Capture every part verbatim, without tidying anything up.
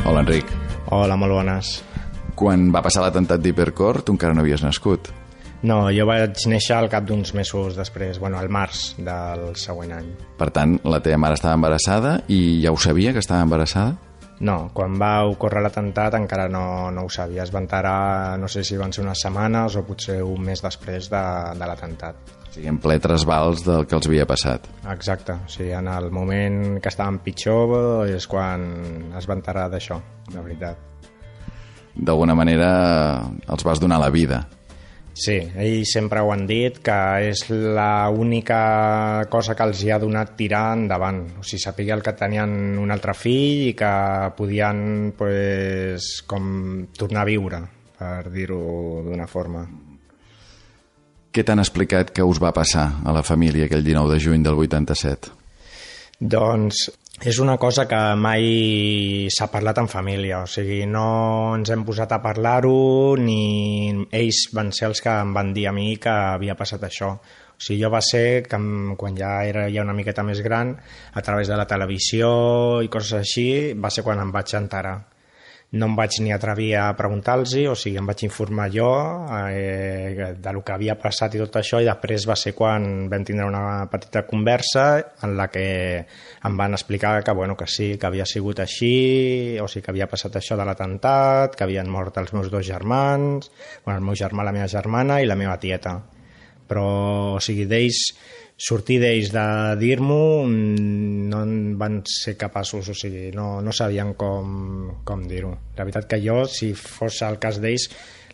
Hola, Enric. Hola, molt bones. Quan va passar l'atemptat d'Hipercor, tu encara no havies nascut. No, jo vaig néixer al cap d'uns mesos després, bueno, al març del següent any. Per tant, la teva mare estava embarassada i ja ho sabia que estava embarassada? No, quan va ocórrer l'atemptat encara no, no ho sabia. Es va enterar, no sé si van ser unes setmanes o potser un mes després de, de l'atemptat. O sigui, en ple trasbals del que els havia passat. Exacte, o sigui, en el moment que estaven pitjor és quan es va enterar d'això, de veritat. D'alguna manera els vas donar la vida. Sí, ells sempre ho han dit, que és l'única cosa que els hi ha donat tirar endavant. O sigui, sapigué el que tenien un altre fill i que podien pues, com tornar a viure, per dir-ho d'una forma. Què t'han explicat que us va passar a la família aquell dinou de juny del vuitanta-set? Doncs és una cosa que mai s'ha parlat en família, o sigui, no ens hem posat a parlar-ho ni ells van ser els que em van dir a mi que havia passat això. O sigui, jo va ser que quan ja era ja una miqueta més gran, a través de la televisió i coses així, va ser quan em vaig enterar. No em vaig ni atrevir a preguntar-los, o sigui, em vaig informar jo eh, de lo que havia passat i tot això, i després va ser quan vam tindre una petita conversa en la que em van explicar que, bueno, que sí, que havia sigut així, o sigui, que havia passat això de l'atemptat, que havien mort els meus dos germans, bueno, el meu germà, la meva germana i la meva tieta. Però, o sigui, d'ells, sortir d'ells de dir-m'ho no van ser capaços, o sigui, no, no sabien com, com dir-ho. La veritat que jo, si fos el cas d'ells,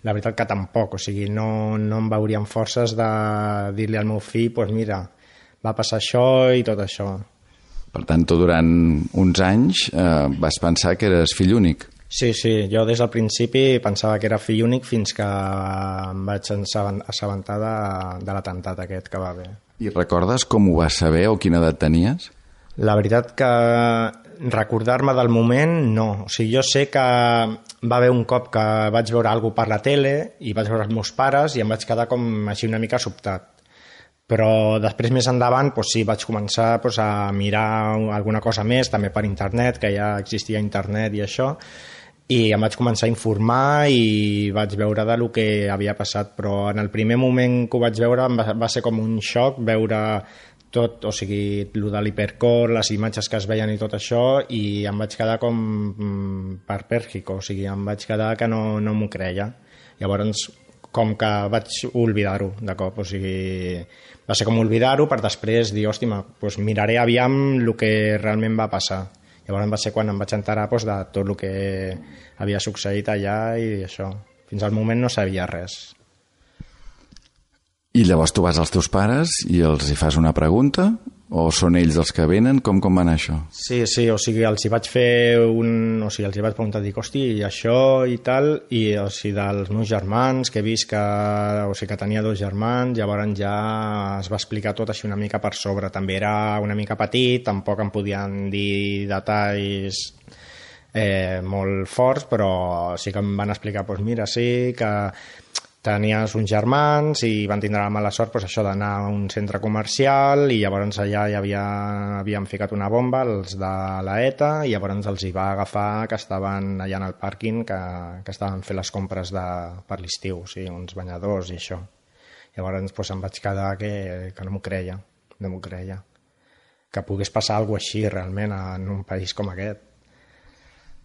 la veritat que tampoc, o sigui, no, no em veurien forces de dir-li al meu fill, doncs pues mira, va passar això i tot això. Per tant, tu durant uns anys eh, vas pensar que eres fill únic. Sí, sí, jo des del principi pensava que era fill únic fins que em vaig assabentar de, de l'atemptat aquest que va haver. I recordes com ho vas saber o quina edat tenies? La veritat que recordar-me del moment, no. O sigui, jo sé que va haver un cop que vaig veure alguna cosa per la tele i vaig veure els meus pares i em vaig quedar com així una mica sobtat. Però després, més endavant, doncs sí, vaig començar doncs, a mirar alguna cosa més, també per internet, que ja existia internet i això, i em vaig començar a informar i vaig veure de lo que havia passat, però en el primer moment que ho vaig veure va, va ser com un xoc veure tot, o sigui, el de l'Hipercor, les imatges que es veien i tot això, i em vaig quedar com perpèrgico, o sigui, em vaig quedar que no, no m'ho creia. Llavors, com que vaig oblidar-ho de cop, o sigui, va ser com oblidar-ho per després dir, hòstia, doncs miraré aviam el que realment va passar. Llavors va ser quan em vaig enterar doncs, de tot el que havia succeït allà i això. Fins al moment no sabia res. I llavors tu vas als teus pares i els hi fas una pregunta? O són ells els que venen? Com, com va anar això? Sí, sí, o sigui, els hi vaig fer un... O sigui, els hi vaig preguntar, dic, hosti, i això i tal, i o sigui, dels meus germans, que he vist que... O sigui, que tenia dos germans, llavors ja es va explicar tot així una mica per sobre. També era una mica petit, tampoc em podien dir detalls eh, molt forts, però sí que em van explicar, doncs mira, sí, que tenies uns germans i van tindre la mala sort doncs, això d'anar a un centre comercial i llavors allà hi havia, havien ficat una bomba els de l'ETA i llavors els hi va agafar que estaven allà en el pàrquing que, que estaven fent les compres de, per l'estiu, o sigui, uns banyadors i això. Llavors doncs, em vaig quedar que, que no m'ho creia, no m'ho creia. Que pogués passar alguna cosa així realment en un país com aquest.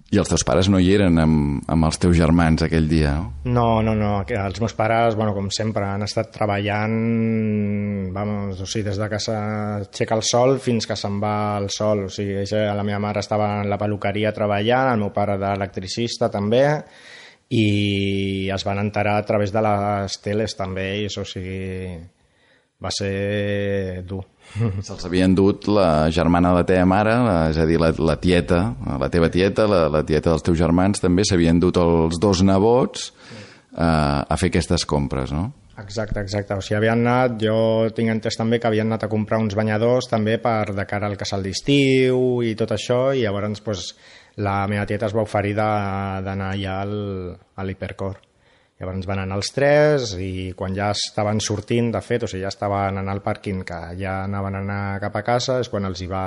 I els teus pares no hi eren amb, amb els teus germans aquell dia, no? No, no, no. Els meus pares, bueno, com sempre, han estat treballant vamos, o sigui, des de que s'aixeca el sol fins que se'n va el sol. O sigui, la meva mare estava en la peluqueria treballant, el meu pare d'electricista també, i es van enterar a través de les teles també, i això, o sigui, va ser dur. Se'ls havien dut la germana de la teva mare, la, és a dir, la, la tieta, la teva tieta, la, la tieta dels teus germans, també s'havien dut els dos nebots eh, a fer aquestes compres, no? Exacte, exacte. O sigui, havien anat, jo tinc entès també que havien anat a comprar uns banyadors també per de cara al casal d'estiu i tot això, i llavors pues, la meva tieta es va oferir d'anar allà al, a l'Hipercor. Llavors van anar els tres i quan ja estaven sortint, de fet, o sigui, ja estaven anant al pàrquing, que ja anaven a anar cap a casa, és quan els hi va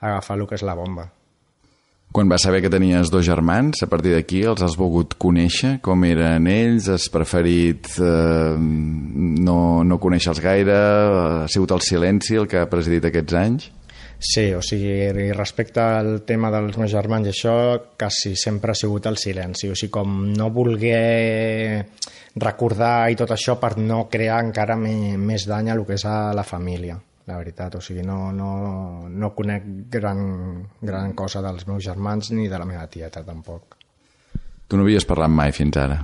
agafar el que és la bomba. Quan vas saber que tenies dos germans, a partir d'aquí els has volgut conèixer? Com eren ells? Has preferit eh, no, no conèixer-los gaire? Ha sigut el silenci el que ha presidit aquests anys? Sí, o sigui, respecte al tema dels meus germans i això, quasi sempre ha sigut el silenci. O sigui, com no voler recordar i tot això per no crear encara més, més dany a el que és a la família. La veritat, o sigui, no, no, no conec gran, gran cosa dels meus germans ni de la meva tieta, tampoc. Tu no havies parlat mai fins ara?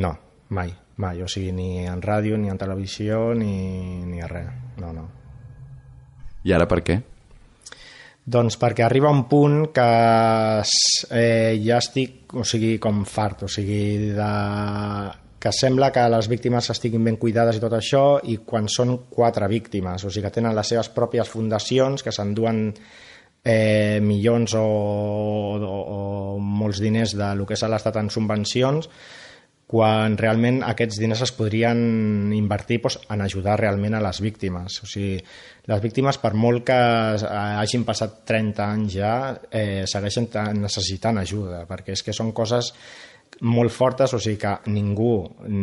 No, mai, mai, o sigui, ni en ràdio, ni en televisió, ni, ni res, no, no. I ara per què? Doncs perquè arriba un punt que eh, ja estic, o sigui, com fart, o sigui, de... que sembla que les víctimes estiguin ben cuidades i tot això, i quan són quatre víctimes, o sigui que tenen les seves pròpies fundacions, que s'enduen eh, milions o, o, o molts diners de lo que és l'Estat en subvencions, quan realment aquests diners es podrien invertir doncs, en ajudar realment a les víctimes. O sigui, les víctimes, per molt que hagin passat trenta anys ja, eh, segueixen necessitant ajuda, perquè és que són coses molt fortes, o sigui que ningú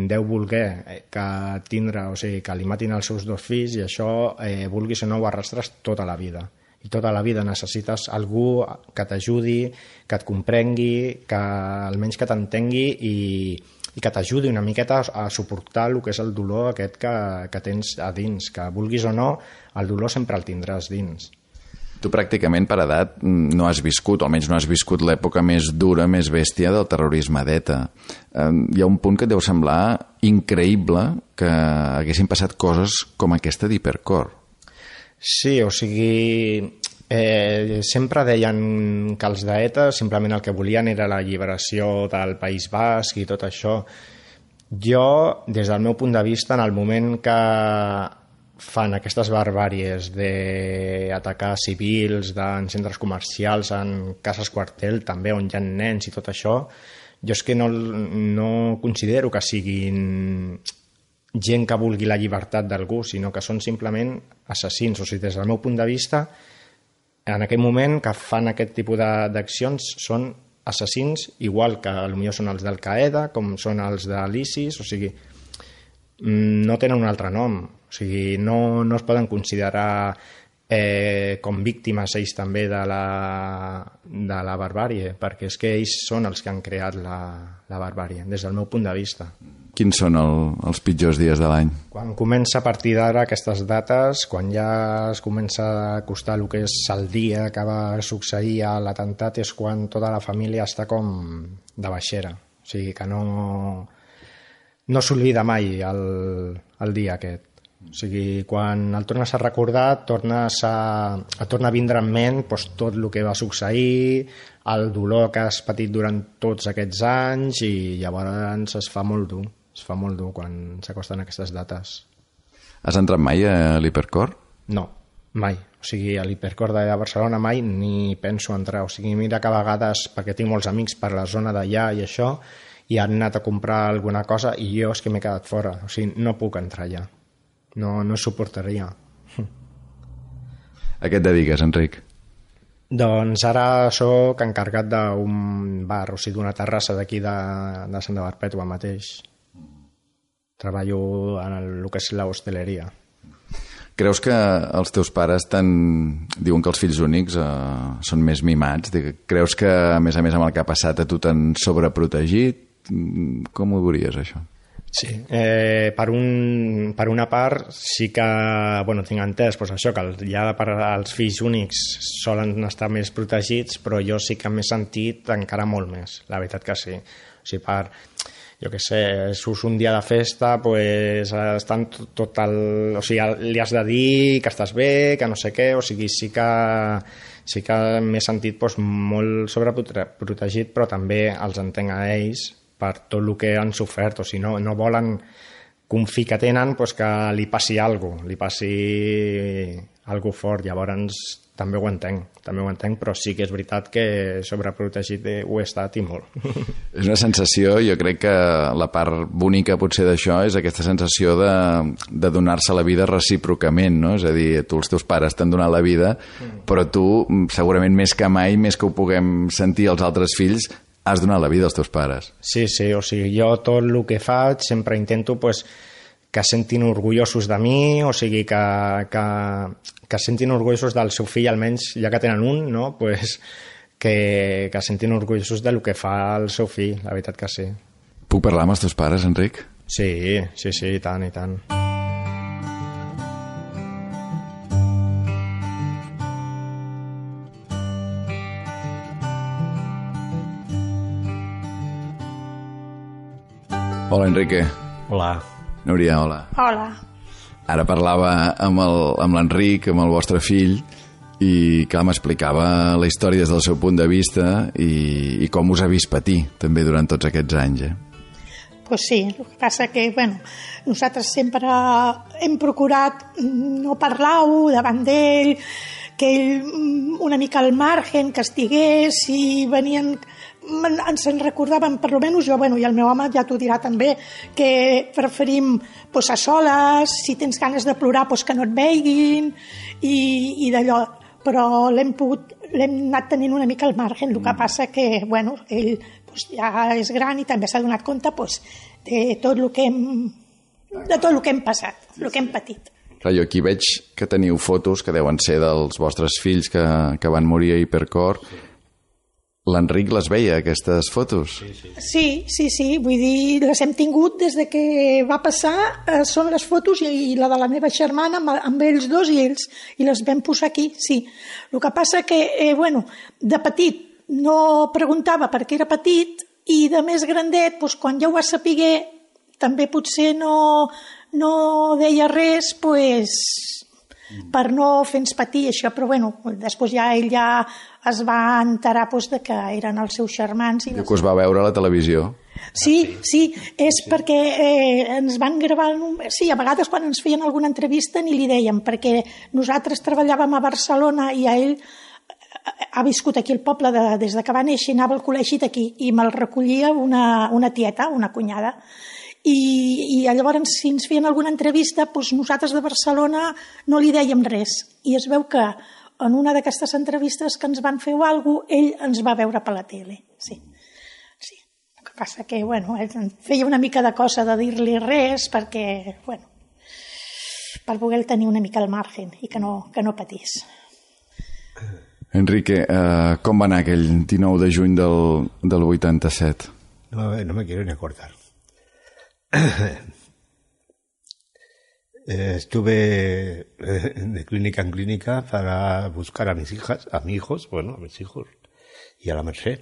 deu voler que tindre, o sigui, que li matin els seus dos fills, i això, eh, vulguis o no, ho arrastres tota la vida. I tota la vida necessites algú que t'ajudi, que et comprengui, que almenys que t'entengui i, i que t'ajudi una miqueta a suportar el que és el dolor aquest que, que tens a dins, que vulguis o no, el dolor sempre el tindràs dins. Tu pràcticament per edat no has viscut, o almenys no has viscut l'època més dura, més bèstia del terrorisme d'ETA. Eh, hi ha un punt que et deu semblar increïble que haguessin passat coses com aquesta d'Hipercor. Sí, o sigui, eh, sempre deien que els d'ETA simplement el que volien era la lliberació del País Basc i tot això. Jo, des del meu punt de vista, en el moment que fan aquestes barbàries d'atacar civils en centres comercials, en cases quartel també, on hi ha nens i tot això, jo és que no, no considero que siguin gent que vulgui la llibertat d'algú, sinó que són simplement assassins. O sigui, des del meu punt de vista, en aquell moment que fan aquest tipus d'accions són assassins, igual que potser són els d'Al-Qaeda, com són els de l'ISIS, o sigui, no tenen un altre nom. O sigui, no, no es poden considerar eh, com víctimes ells també de la, de la barbàrie, perquè és que ells són els que han creat la, la barbàrie, des del meu punt de vista. Quins són el, els pitjors dies de l'any? Quan comença a partir d'ara aquestes dates, quan ja es comença a acostar el que és el dia que va succeir a l'atemptat, és quan tota la família està com de baixera. O sigui, que no, no s'oblida mai el, el dia aquest. O sigui, quan el tornes a recordar, tornes a, a tornar a vindre en ment doncs, tot el que va succeir, el dolor que has patit durant tots aquests anys, i llavors es fa molt dur, es fa molt dur quan s'acosten aquestes dates. Has entrat mai a l'Hipercor? No, mai. O sigui, a l'Hipercor de Barcelona mai ni penso entrar. O sigui, mira que a vegades, perquè tinc molts amics per la zona d'allà i això, i han anat a comprar alguna cosa i jo és que m'he quedat fora. O sigui, no puc entrar allà. No, no suportaria. A què et dediques, Enric? Doncs ara sóc encarregat d'un bar, o sigui, d'una terrassa d'aquí de, de Santa Perpètua mateix. Treballo en el, el que és l'hostaleria. Creus que els teus pares tan... diuen que els fills únics eh, són més mimats? Creus que, a més a més, amb el que ha passat a tu t'han sobreprotegit? Com ho veuries, això? Sí, eh, per, un, per una part sí que bueno, tinc entès doncs això, que ja per als fills únics solen estar més protegits, però jo sí que m'he sentit encara molt més, la veritat que sí. O sigui, per, jo què sé, surts un dia de festa, pues, estan tot, tot el, o sigui, li has de dir que estàs bé, que no sé què, o sigui, sí que, sí que m'he sentit doncs, molt sobreprotegit, però també els entenc a ells per tot el que han sofert, o sigui, no, no volen que un fill que tenen pues, que li passi alguna cosa, li passi algo fort. Llavors també ho entenc, també ho entenc, però sí que és veritat que sobreprotegit ho he estat i molt. És una sensació, jo crec que la part bonica potser d'això és aquesta sensació de, de donar-se la vida recíprocament, no? És a dir, tu els teus pares t'han donat la vida, però tu segurament més que mai, més que ho puguem sentir els altres fills, has donat la vida als teus pares. Sí, sí, o sigui, jo tot el que faig sempre intento pues, que sentin orgullosos de mi, o sigui, que, que, que sentin orgullosos del seu fill, almenys ja que tenen un, no? Pues, que, que sentin orgullosos del que fa el seu fill, la veritat que sí. Puc parlar amb els teus pares, Enric? Sí, sí, sí, i tant, i tant. Hola, Enrique. Hola. Núria, hola. Hola. Ara parlava amb el- amb l'Enric, amb el vostre fill, i clar, m'explicava la història des del seu punt de vista i, i com us ha vist patir també durant tots aquests anys, eh? Pues sí, el que passa que, bueno, nosaltres sempre hem procurat no parlar-ho davant d'ell, que ell mm, una mica al margen, que estigués, i venien, men- ens en recordaven, per almenys jo, bueno, i el meu home ja t'ho dirà també, que preferim pues, a soles, si tens ganes de plorar, pues, que no et veiguin, i, i d'allò, però l'hem pogut, l'hem anat tenint una mica al margen, el que passa que, bueno, ell pues, ja és gran i també s'ha donat compte pues, de tot el que hem de tot el que hem passat, el que hem patit. Clar, jo aquí veig que teniu fotos que deuen ser dels vostres fills que, que van morir a Hipercor. L'Enric les veia, aquestes fotos? Sí, sí, sí, vull dir, les hem tingut des de que va passar, eh, són les fotos i, i la de la meva germana amb, amb ells dos i ells, i les vam posar aquí, sí. El que passa que, eh, bueno, de petit no preguntava per què era petit i de més grandet, doncs, quan ja ho va saber, també potser no, no deia res, pues, per no fer-nos patir això, però bueno, després ja ell ja es va enterar pues, de que eren els seus germans. I Diu que us va veure a la televisió. Sí, sí, és perquè eh, ens van gravar... Un... Sí, a vegades quan ens feien alguna entrevista ni li dèiem, perquè nosaltres treballàvem a Barcelona i a ell ha viscut aquí al poble de, des de que va néixer, anava al col·legi d'aquí i me'l recollia una, una tieta, una cunyada. I, i llavors si ens feien alguna entrevista doncs nosaltres de Barcelona no li dèiem res i es veu que en una d'aquestes entrevistes que ens van fer o alguna cosa, ell ens va veure per la tele, sí. Sí. El que passa que, bueno, ell feia una mica de cosa de dir-li res perquè, bueno, per poder tenir una mica al margen i que no, que no patís. Enrique, eh, com va anar aquell dinou de juny del, del vuitanta-set? No, no me quiero ni acordar. Estuve de clínica en clínica para buscar a mis hijas, a mis hijos, bueno, a mis hijos y a la Merced.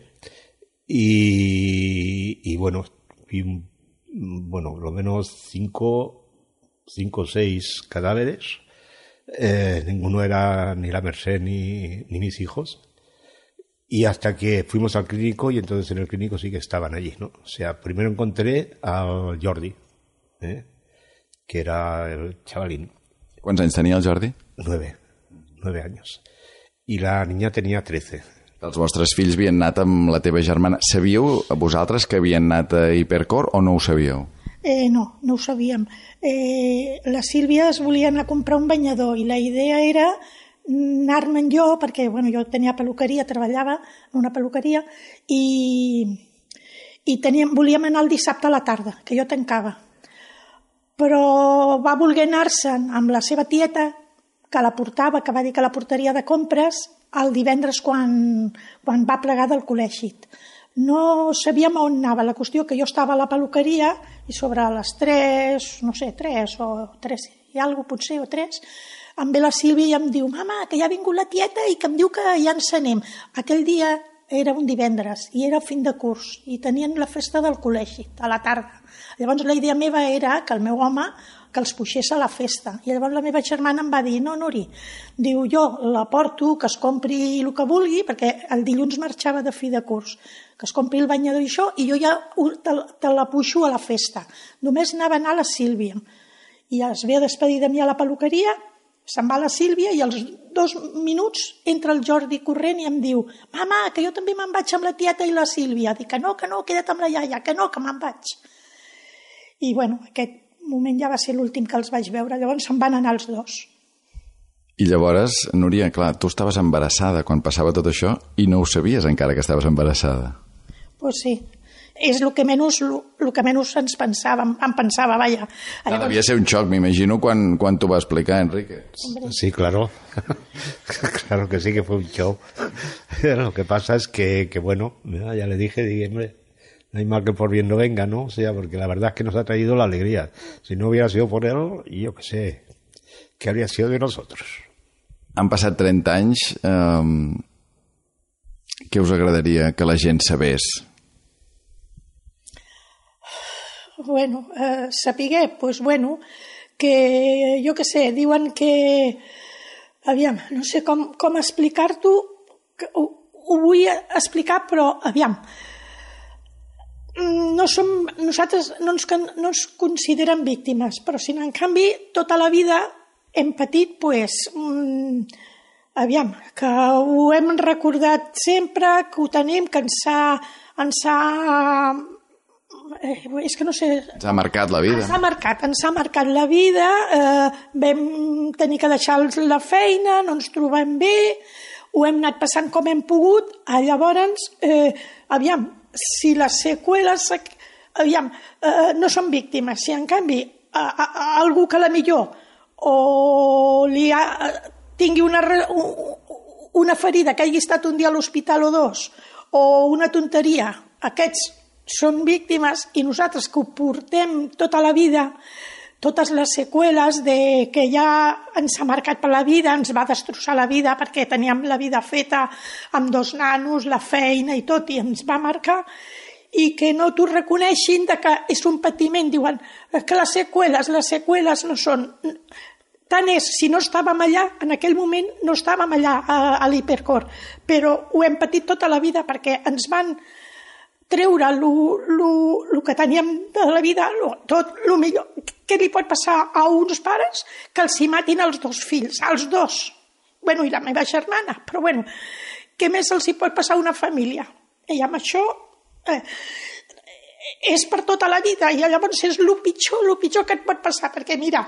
Y, y bueno, vi, bueno, lo menos cinco, cinco o seis cadáveres. Eh, ninguno era ni la Merced ni, ni mis hijos. Y hasta que fuimos al clínico, y entonces en el clínico sí que estaban allí, ¿no? O sea, primero encontré al Jordi, ¿eh? Que era el chavalín. Quants anys tenia el Jordi? Nueve, nueve años. I la niña tenia trece. Els vostres fills havien anat amb la teva germana. Sabíeu vosaltres que havien anat a Hipercor o no ho sabíeu? Eh, no, no ho sabíem. Eh, la Sílvia es volia anar a comprar un banyador i la idea era anar-me'n jo, perquè bueno, jo tenia peluqueria, treballava en una peluqueria i, i teníem, volíem anar el dissabte a la tarda, que jo tancava. Però va voler anar-se'n amb la seva tieta, que la portava, que va dir que la portaria de compres, el divendres quan, quan va plegar del col·legi. No sabíem on anava, la qüestió que jo estava a la peluqueria i sobre les tres, no sé, tres o tres i alguna cosa potser, o tres, em ve la Sílvia i em diu, mama, que ja ha vingut la tieta i que em diu que ja ens anem. Aquell dia era un divendres i era fin de curs i tenien la festa del col·legi a la tarda. Llavors la idea meva era que el meu home que els puixés a la festa. I llavors la meva germana em va dir, no, Nuri, diu, jo la porto, que es compri el que vulgui, perquè el dilluns marxava de fi de curs, que es compri el banyador i això, i jo ja te, te la puixo a la festa. Només anava a anar a la Sílvia. I es ve a despedir de mi a la peluqueria Se'n va la Sílvia i als dos minuts entra el Jordi corrent i em diu «Mama, que jo també me'n vaig amb la tieta i la Sílvia». Dic que no, que no, queda't amb la iaia, que no, que me'n vaig. I bueno, aquest moment ja va ser l'últim que els vaig veure, llavors se'n van anar els dos. I llavors, Núria, clar, tu estaves embarassada quan passava tot això i no ho sabies encara que estaves embarassada. Pues sí, és el que menys, el que menys ens pensàvem, em pensava, vaja. Llavors... Devia ser un xoc, m'imagino, quan, quan t'ho va explicar, Enrique. Sí, claro. Claro que sí que fue un show. Lo que pasa es que, que bueno, ya le dije, dije, hombre, no hay mal que por bien no venga, ¿no? O sea, porque la verdad es que nos ha traído la alegría. Si no hubiera sido por él, yo qué sé, ¿qué habría sido de nosotros? Han passat trenta anys. Eh, què us agradaria que la gent sabés? Bueno, eh, sapiguer, pues bueno, que jo què sé, diuen que... Aviam, no sé com, com explicar-t'ho, ho, ho vull explicar, però aviam, no som, nosaltres no ens, no ens consideren víctimes, però si en canvi tota la vida hem patit, pues, mmm, aviam, que ho hem recordat sempre, que ho tenim, que ens ha... Ens ha eh, és que no sé... Ens ha marcat la vida. Ens ha marcat, ens ha marcat la vida, eh, vam tenir que deixar la feina, no ens trobem bé, ho hem anat passant com hem pogut, llavors, eh, aviam, si les seqüeles, aviam, eh, no són víctimes, si en canvi a, a, a algú que la millor o li ha, tingui una, una ferida, que hagi estat un dia a l'hospital o dos, o una tonteria, aquests són víctimes i nosaltres que ho portem tota la vida, totes les seqüeles de que ja ens ha marcat per la vida, ens va destrossar la vida perquè teníem la vida feta amb dos nanos, la feina i tot, i ens va marcar, i que no t'ho reconeixin de que és un patiment, diuen que les seqüeles, les seqüeles no són... Tant és, si no estàvem allà, en aquell moment no estàvem allà a, a l'hipercor, però ho hem patit tota la vida perquè ens van treure el que teníem de la vida, lo, tot el millor. Què li pot passar a uns pares? Que els hi matin els dos fills, els dos. Bueno, i la meva germana, però bueno, què més els hi pot passar a una família? I amb això... Eh, és per tota la vida i llavors és el pitjor, el pitjor que et pot passar perquè mira,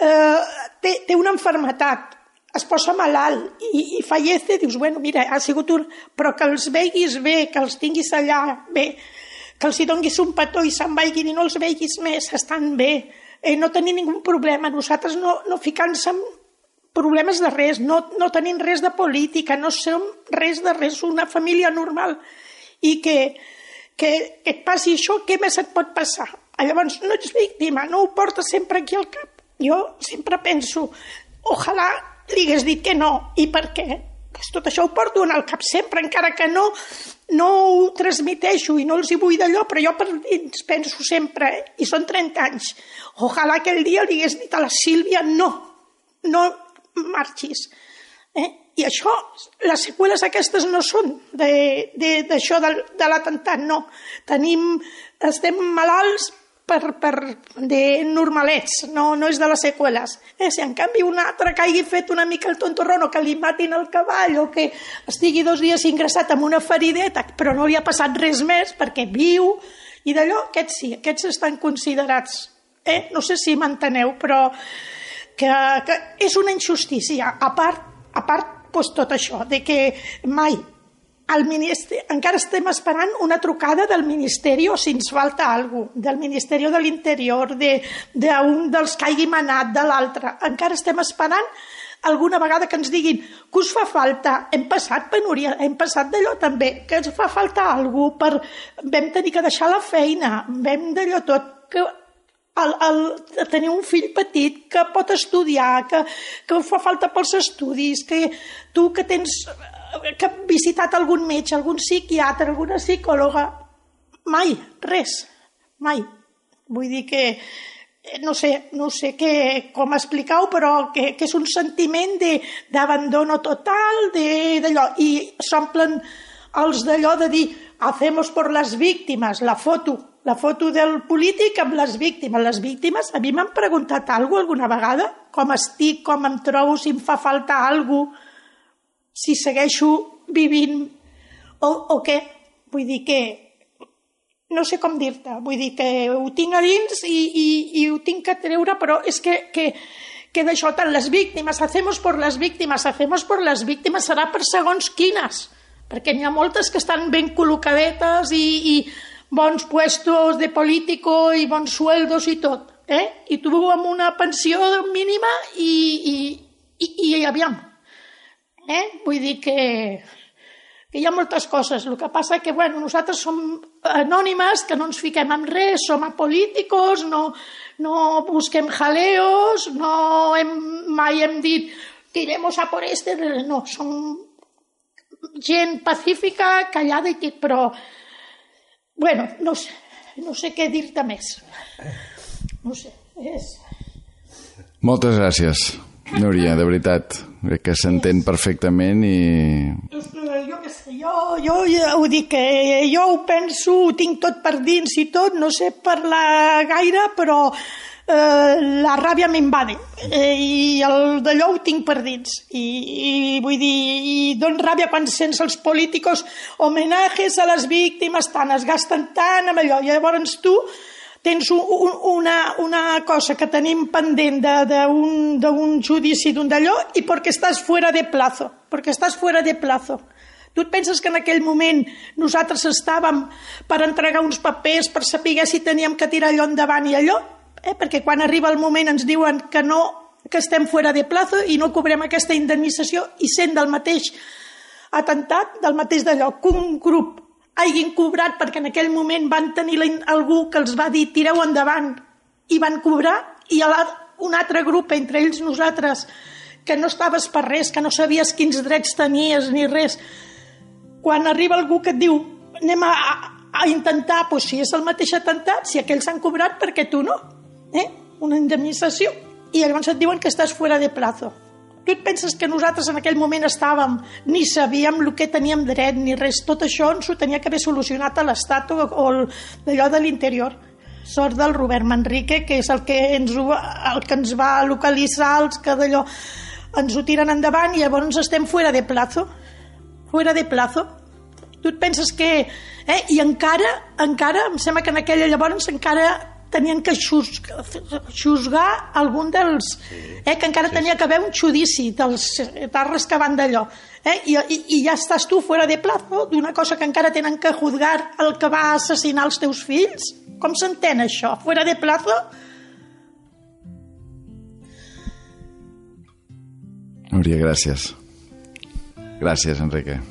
eh, té, té una malaltia, es posa malalt i, i fallece, dius, bueno, mira, ha sigut un... però que els veguis bé, que els tinguis allà bé, que els hi donis un petó i se'n vagin i no els veguis més, estan bé, eh, no tenim ningú problema, nosaltres no, no ficant-se en problemes de res, no, no tenim res de política, no som res de res, una família normal i que que et passi això, què més et pot passar? Llavors, no ets víctima, no ho portes sempre aquí al cap. Jo sempre penso, ojalà li hagués dit que no, i per què? Pues tot això ho porto en el cap sempre, encara que no, no ho transmiteixo i no els hi vull d'allò, però jo per dins penso sempre, i són trenta anys, ojalà aquell dia li hagués dit a la Sílvia no, no marxis. Eh? I això, les seqüeles aquestes no són d'això de, de, de l'atemptat, no. Tenim, estem malalts per, per de normalets, no, no és de les seqüeles. Eh? Si en canvi un altre que hagi fet una mica el tontorrón o que li matin el cavall o que estigui dos dies ingressat amb una ferideta però no li ha passat res més perquè viu i d'allò, aquests sí, aquests estan considerats. Eh? No sé si m'enteneu, però que, que és una injustícia. A part, a part pues, tot això, de que mai el ministeri, encara estem esperant una trucada del Ministeri o si ens falta alguna cosa, del Ministeri de l'Interior, d'un de, dels que hagi manat, de l'altre. Encara estem esperant alguna vegada que ens diguin que us fa falta, hem passat penúria, hem passat d'allò també, que ens fa falta alguna cosa, per... vam tenir que deixar la feina, vam d'allò tot, que El, el, tenir un fill petit que pot estudiar, que, que fa falta pels estudis, que tu que tens que has visitat algun metge, algun psiquiatre, alguna psicòloga, mai, res, mai. Vull dir que no sé, no sé què, com explicar-ho, però que, que és un sentiment d'abandono total, d'allò, i s'omplen els d'allò de dir hacemos por las víctimes, la foto, la foto del polític amb les víctimes. Les víctimes, a mi m'han preguntat alguna cosa alguna vegada? Com estic, com em trobo, si em fa falta alguna cosa, si segueixo vivint o, o què? Vull dir que no sé com dir-te, vull dir que ho tinc a dins i, i, i ho tinc que treure, però és que, que, que d'això tant les víctimes, hacemos por las víctimes, hacemos por las víctimes serà per segons quines, perquè n'hi ha moltes que estan ben col·locadetes i, i bons puestos de político i bons sueldos i tot, eh? I tu amb una pensió mínima i, i, i, i aviam, eh? Vull dir que... que hi ha moltes coses. El que passa que, bueno, nosaltres som anònimes, que no ens fiquem en res, som apolíticos, no, no busquem jaleos, no hem, mai hem dit tiremos a por este, no, som gent pacífica, callada i tot, però, bueno, no sé, no sé què dir-te més. No sé, és... Moltes gràcies, Núria, de veritat, que s'entén perfectament i... Jo què sé, jo, jo ja ho dic, que jo ho penso, ho tinc tot per dins i tot, no sé parlar gaire, però eh, la ràbia m'invade eh, i el d'allò ho tinc per dins. I, i vull dir, i don ràbia quan sents els políticos homenajes a les víctimes, tant es gasten tant amb allò, i llavors tu tens un, una, una cosa que tenim pendent d'un judici d'un d'allò i perquè estàs fuera de plazo, perquè estàs fuera de plazo. Tu et penses que en aquell moment nosaltres estàvem per entregar uns papers, per saber si teníem que tirar allò endavant i allò? Eh? Perquè quan arriba el moment ens diuen que no, que estem fuera de plazo i no cobrem aquesta indemnització i sent del mateix atemptat, del mateix d'allò, que un grup hagin cobrat perquè en aquell moment van tenir algú que els va dir tireu endavant i van cobrar, i un altre grup, entre ells nosaltres, que no estaves per res, que no sabies quins drets tenies ni res, quan arriba algú que et diu anem a, a intentar, doncs si és el mateix atemptat, si aquells han cobrat, perquè tu no, eh? Una indemnització, i llavors et diuen que estàs fuera de plazo. Tu et penses que nosaltres en aquell moment estàvem, ni sabíem el que teníem dret ni res, tot això ens ho tenia que haver solucionat a l'Estat o, o d'allò de l'interior. Sort del Robert Manrique, que és el que ens, el que ens va localitzar, els que d'allò ens ho tiren endavant i llavors estem fuera de plazo. Fuera de plazo. Tu et penses que... Eh? I encara, encara, em sembla que en aquella llavors encara tenien que xusgar, xusgar algun dels... Eh? Que encara sí, tenia que haver un judici dels tarres que van d'allò. Eh? I, i, I ja estàs tu fuera de plazo d'una cosa que encara tenen que juzgar el que va assassinar els teus fills. Com s'entén això? Fuera de plazo? Núria, gràcies. Gràcies, Enrique.